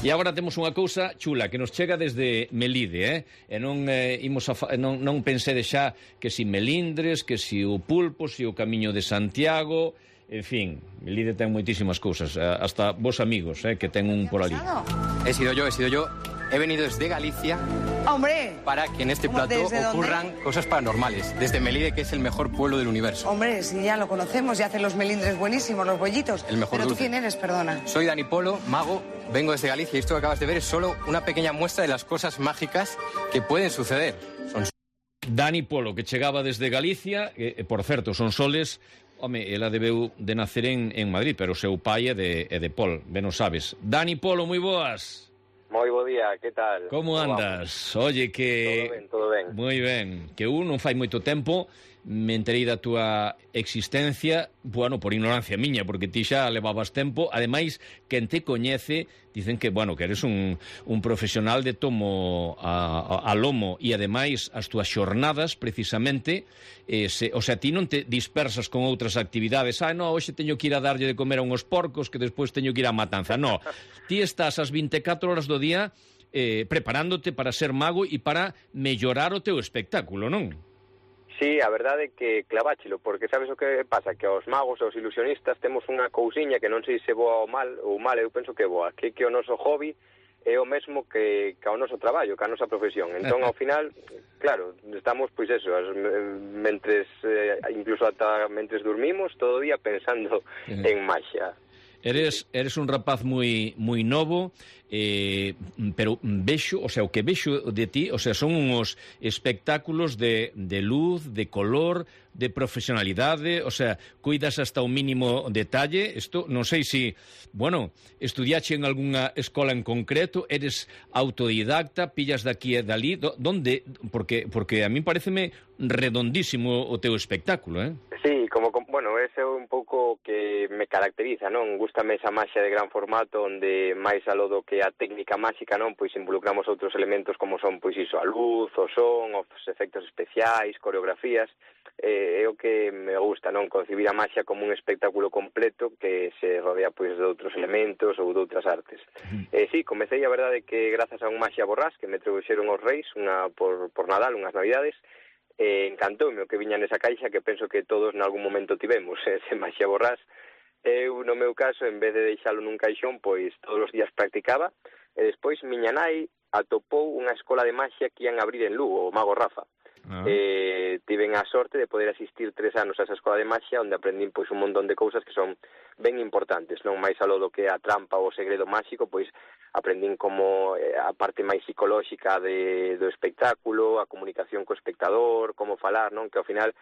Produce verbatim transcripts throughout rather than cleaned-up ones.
E agora temos unha cousa chula que nos chega desde Melide, eh? E non eh, imos a fa... non, non pensede xa que si Melindres, que si o Pulpo, si o Camiño de Santiago, en fin, Melide ten moitísimas cousas, hasta vos amigos, eh, que ten un por ali. He sido yo, he sido yo. He venido desde Galicia. ¡Hombre! Para que en este plato ocurran dónde? cosas paranormales. Desde Melide, que es el mejor pueblo del universo. Hombre, si ya lo conocemos, ya hacen los melindres buenísimos, los bollitos. El mejor Pero dulce. ¿tú quién eres, perdona? Soy Dani Polo, mago. Vengo desde Galicia y esto que acabas de ver es solo una pequeña muestra de las cosas mágicas que pueden suceder. Son... Dani Polo, que chegaba desde Galicia, e, por certo, son soles. Home, ela debeu de nacer en, en Madrid, pero o seu pai é de, é de Pol, ben o sabes. Dani Polo, moi boas. Moi bo día, que tal? Como andas? Oye, que... Todo ben, todo ben. Moi ben. Que un non fai moito tempo me enterei da túa existencia, bueno, por ignorancia miña, porque ti xa levabas tempo. Ademais, quen te coñece, dicen que, bueno, que eres un, un profesional de tomo a, a, a lomo, e ademais as túas xornadas, precisamente, eh, se, o sea, ti non te dispersas con outras actividades. Ah, no, hoxe teño que ir a darlle de comer a uns porcos que despois teño que ir a matanza. No, ti estás as vinte e catro horas do día eh, preparándote para ser mago e para mellorar o teu espectáculo, non? Sí, a verdade é que claváchelo, porque sabes o que pasa? Que aos magos, aos ilusionistas, temos unha cousiña que non sei se boa ou mal, ou mal eu penso que boa, que que o noso hobby é o mesmo que, que ao noso traballo, que a nosa profesión. Entón, ao final, claro, estamos, pois eso, as, mentres, eh, incluso ata mentres dormimos, todo o día pensando en maxia. Eres, eres un rapaz moi moi novo, eh, pero vexo, o sea, o que vexo de ti, o sea, son uns espectáculos de, de luz, de color, de profesionalidade, o sea, cuidas hasta o mínimo detalle. Isto, non sei se, bueno, estudiache en algunha escola en concreto, eres autodidacta, pillas daqui e dali, donde, porque, porque a mí pareceme redondísimo o teu espectáculo, eh? Sí, como, bueno, ese é un pouco que me caracteriza, non? Gústame esa maxia de gran formato onde máis aló do que a técnica máxica, non? Pois involucramos outros elementos como son, pois iso, a luz, o son, os efectos especiais, coreografías. Eh, é o que me gusta, non? Concibir a maxia como un espectáculo completo que se rodea, pois, de outros elementos ou de outras artes. Eh, sí, comecei, a verdade, que grazas a un maxia borrás que me trouxeron os reis, unha por, por Nadal, unhas navidades. Eh, encantoume o que viña nesa caixa, que penso que todos nalgún momento tivemos, ese maxia borrás. Eu, no meu caso, en vez de deixalo nun caixón, pois todos os días practicaba, e despois miña nai atopou unha escola de maxia que ian abrir en Lugo, o Mago Rafa. Ah. Eh, tiven a sorte de poder asistir tres anos a esa escola de maxia, onde aprendín pois un montón de cousas que son ben importantes, non máis aló do que a trampa ou o segredo máxico, pois aprendín como eh, a parte máis psicolóxica de, do espectáculo, a comunicación co espectador, como falar, non? Que ao final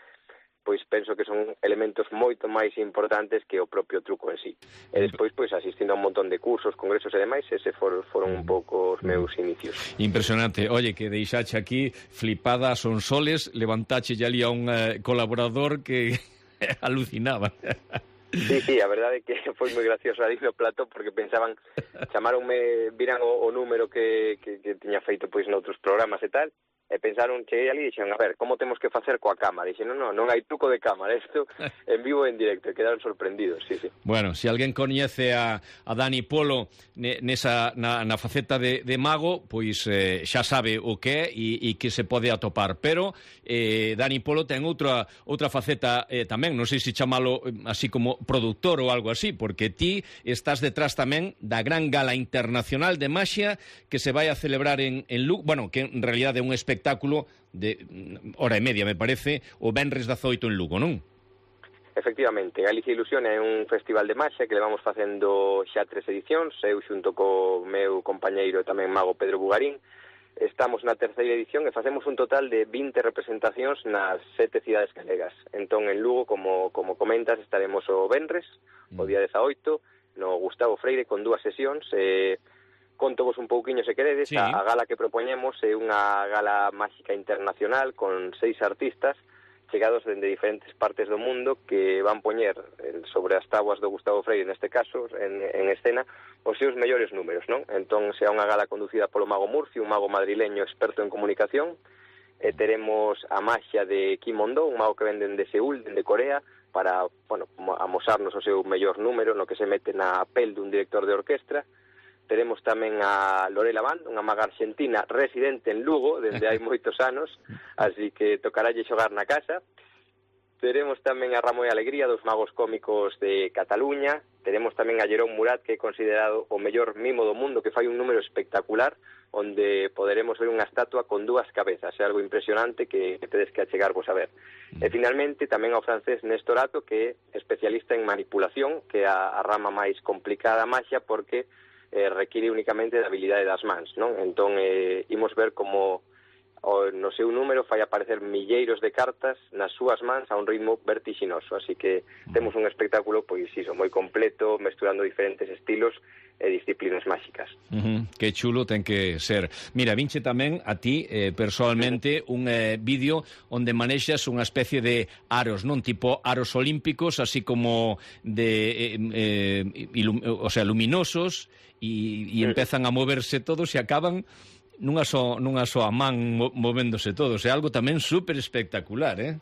pois penso que son elementos moito máis importantes que o propio truco en sí. E despois, pois, asistindo a un montón de cursos, congresos e demais, ese for, foron un pouco os meus inicios. Impresionante. Oye, que deixache aquí flipada son soles, levantache ya ali a un uh, colaborador que alucinaba. Sí, sí, a verdade é que foi moi gracioso ali no plato, porque pensaban, chamaronme, viran o, o número que, que, que tiña feito pois noutros programas e tal, e pensaron, cheguei ali e dixeron, a ver, como temos que facer coa cámara? Dixen, non, non, non hai truco de cámara, isto en vivo e en directo, e quedaron sorprendidos, sí, sí. Bueno, se alguén coñece a, a Dani Polo nesa, na, na faceta de, de mago, pois eh, xa sabe o que é e, e que se pode atopar, pero eh, Dani Polo ten outra outra faceta eh, tamén, non sei se chamalo así como productor ou algo así, porque ti estás detrás tamén da gran gala internacional de maxia que se vai a celebrar en, en Lugo, bueno, que en realidad é un espectáculo espectáculo de hora e media, me parece, o venres dezaoito en Lugo, non? Efectivamente, Galicia Ilusión é un festival de maxia que levamos facendo xa tres edicións, eu xunto co meu compañeiro e tamén mago Pedro Bugarín. Estamos na terceira edición e facemos un total de vinte representacións nas sete cidades galegas. Entón, en Lugo, como, como comentas, estaremos o venres, o día dezaoito, no Gustavo Freire, con dúas sesións, e... Eh, conto vos un pouquiño se queredes, sí. a, a gala que propoñemos é unha gala máxica internacional con seis artistas chegados dende diferentes partes do mundo que van poñer sobre as tábuas do Gustavo Freire, neste caso, en, en escena, os seus mellores números, non? Entón, será unha gala conducida polo mago Murcio, un mago madrileño experto en comunicación, e teremos a maxia de Kim Mondo, un mago que venden de Seúl, de Corea, para, bueno, amosarnos o seu mellor número, no que se mete na pel dun director de orquestra. Teremos tamén a Lorela Band, unha maga argentina residente en Lugo, dende hai moitos anos, así que tocaralle xogar na casa. Teremos tamén a Ramo e Alegría, dos magos cómicos de Cataluña. Teremos tamén a Jerón Murat, que é considerado o mellor mimo do mundo, que fai un número espectacular, onde poderemos ver unha estatua con dúas cabezas. É algo impresionante que, que tedes que achegarvos a ver. Mm. E finalmente tamén ao francés Néstor Ato, que é especialista en manipulación, que é a, a rama máis complicada da maxia, porque eh, require únicamente da habilidade das mans, non? Entón, eh, imos ver como o, no seu número fai aparecer milleiros de cartas nas súas mans a un ritmo vertiginoso, así que temos un espectáculo, pois iso, moi completo, mesturando diferentes estilos e disciplinas máxicas. Uh-huh. Que chulo ten que ser. Mira, vinche tamén a ti, eh, personalmente, uh-huh. un eh, vídeo onde manexas unha especie de aros, non? Tipo aros olímpicos, así como de, eh, eh, ilum, o sea, luminosos, e, e uh-huh. empezan a moverse todos e acaban nunha só, nunha só a man mo, movéndose todos. É algo tamén super espectacular, eh?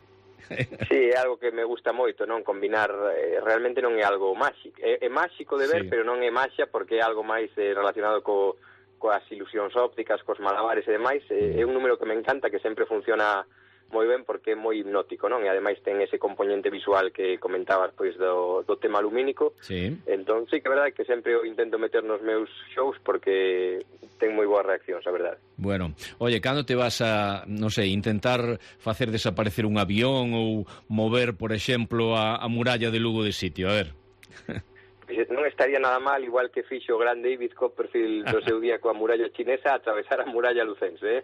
Sí, é algo que me gusta moito, non? Combinar, eh, realmente non é algo máxico. É, é máxico de ver, sí. Pero non é maxia porque é algo máis eh, relacionado co, coas ilusións ópticas, cos malabares e demais. Eh, é un número que me encanta, que sempre funciona moi ben porque é moi hipnótico, non? E ademais ten ese componente visual que comentabas pois do, do tema lumínico. Sí. Entón, sí que é verdade que sempre o intento meter nos meus shows porque ten moi boas reaccións, a verdade. Bueno, oye, cando te vas a, non sei, intentar facer desaparecer un avión ou mover, por exemplo, a, a muralla de Lugo de sitio? A ver. Non estaría nada mal, igual que fixo o gran David Copperfield do seu día coa muralla chinesa, atravesar a muralla lucense, eh?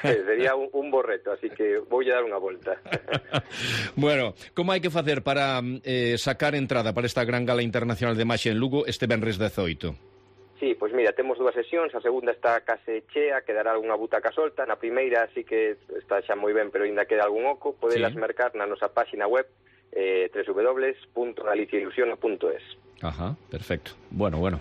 Sería un, un bo reto, así que voulle dar unha volta. Bueno, como hai que facer para eh, sacar entrada para esta gran gala internacional de maxia en Lugo este venres dezoito? Sí, pois mira, temos dúas sesións, a segunda está case chea, quedará algunha butaca solta, na primeira sí que está xa moi ben, pero ainda queda algún oco, podelas sí. mercar na nosa páxina web eh, doble u doble u doble punto galicia ilusiona punto es. Ajá, perfecto. Bueno, bueno.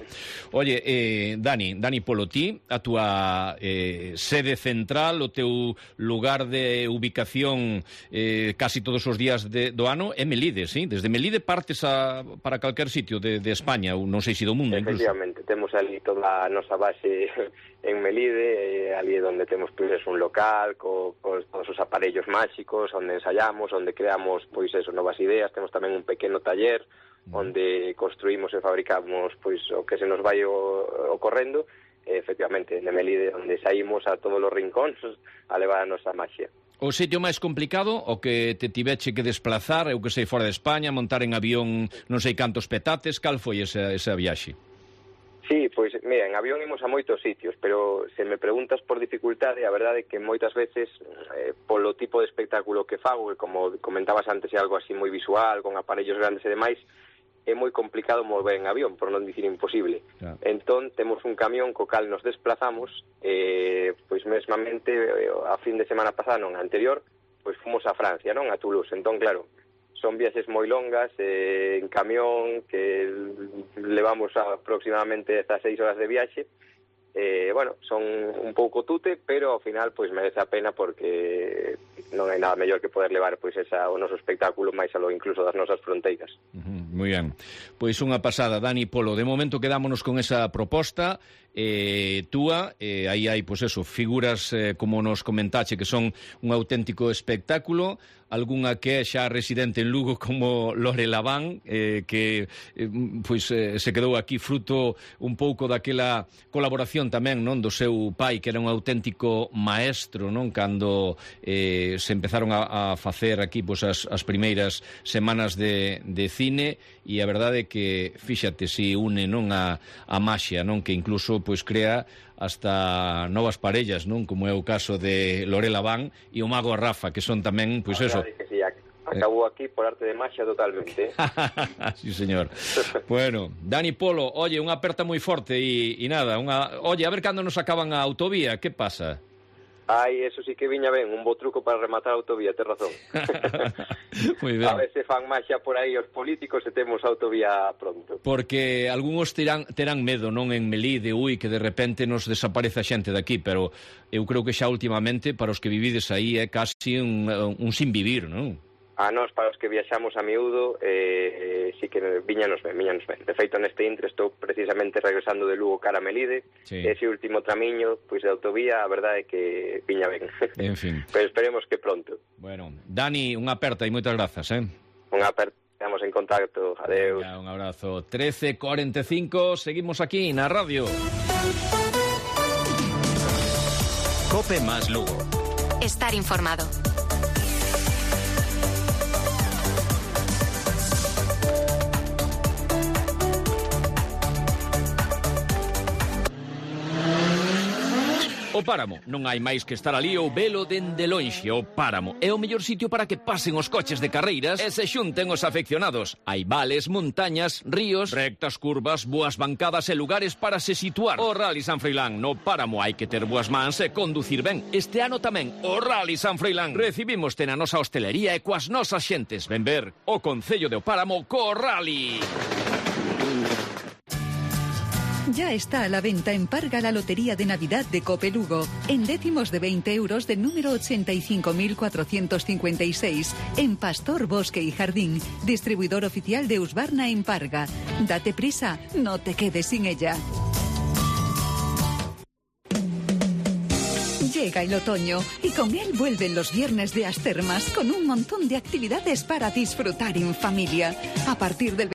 Oye, eh, Dani, Dani Polo, ti, a túa eh, sede central, o teu lugar de ubicación eh, casi todos os días de, do ano é Melide, sí? Desde Melide partes a, para calquer sitio de, de España, ou non sei se do mundo, incluso. Efectivamente, temos ali toda a nosa base en Melide, eh, ali onde temos pois, un local co, con todos os aparellos máxicos, onde ensayamos, onde creamos pois eso, novas ideas, temos tamén un pequeno taller onde construímos e fabricamos pois o que se nos vai o, ocorrendo, e, efectivamente, en Melide, onde saímos a todos os rincóns a levar a nosa maxia. O sitio máis complicado, o que te tiveche que desplazar, eu que sei, fora de España, montar en avión non sei cantos petates, cal foi esa, esa viaxe? Sí, pois, mira, en avión imos a moitos sitios, pero se me preguntas por dificultade, a verdade é que moitas veces, eh, polo tipo de espectáculo que fago, que como comentabas antes, é algo así moi visual, con aparellos grandes e demais, é moi complicado mover en avión, por non dicir imposible. Yeah. Entón, temos un camión co cal nos desplazamos, eh, pois mesmamente, a fin de semana pasada, non, anterior, pois fomos a Francia, non, a Toulouse. Entón, claro, son viaxes moi longas, eh, en camión, que levamos aproximadamente dezasseis horas de viaxe. Eh, bueno, son un pouco tute, pero ao final pois merece a pena porque non hai nada mellor que poder levar pois esa o noso espectáculo máis aló incluso das nosas fronteiras. Uh-huh, moi ben. Pois unha pasada, Dani Polo. De momento quedámonos con esa proposta eh, túa, eh, aí hai pois eso, figuras eh, como nos comentache que son un auténtico espectáculo, algunha que é xa residente en Lugo como Lorela Band, eh, que eh, pois eh, se quedou aquí fruto un pouco daquela colaboración tamén, non, do seu pai, que era un auténtico maestro, non, cando eh, se empezaron a, a facer aquí pois as, as primeiras semanas de, de cine, e a verdade é que fíxate si une, non, a, a maxia, non, que incluso pois crea hasta novas parellas, non, como é o caso de Lorela Band e o mago Rafa, que son tamén, pois eso. Que sí, acabou aquí por arte de maxia totalmente. Sí, señor. Bueno, Dani Polo, oye, unha aperta moi forte e, e nada, unha, oye, a ver cando nos acaban a autovía, que pasa? Ai, eso sí que viña ben, un bo truco para rematar a autovía, tes razón. Moi ben. A ver se fan maxia por aí os políticos e temos autovía pronto. Porque algúns terán, terán medo, non, en Melide, ui, que de repente nos desaparece a xente daqui, pero eu creo que xa últimamente, para os que vivides aí, é casi un, un sin vivir, non? a nós, para os que viaxamos a miúdo, eh, sí que viña nos ben, viña nos ben. De feito, neste intre estou precisamente regresando de Lugo cara a Melide, sí. Ese último tramiño, pois de autovía, a verdade é que viña ben. En fin. Pero esperemos que pronto. Bueno, Dani, unha aperta e moitas grazas, eh? Unha aperta, estamos en contacto, adeus. Venga, un abrazo. trece cuarenta e cinco, seguimos aquí na radio. Cope más Lugo. Estar informado. O Páramo, non hai máis que estar ali ou velo dende lonxe. O Páramo é o mellor sitio para que pasen os coches de carreiras e se xunten os afeccionados. Hai vales, montañas, ríos, rectas curvas, boas bancadas e lugares para se situar. O Rally San Froilán, no Páramo hai que ter boas mans e conducir ben. Este ano tamén, o Rally San Froilán. Recibimoste na nosa hostelería e coas nosas xentes. Ven ver o Concello de O Páramo co Rally. Ya está a la venta en Parga la Lotería de Navidad de Cope Lugo, en décimos de veinte euros del número ochenta y cinco mil cuatrocientos cincuenta y seis, en Pastor, Bosque y Jardín, distribuidor oficial de Husqvarna en Parga. Date prisa, no te quedes sin ella. Llega el otoño y con él vuelven los viernes de Astermas con un montón de actividades para disfrutar en familia. A partir del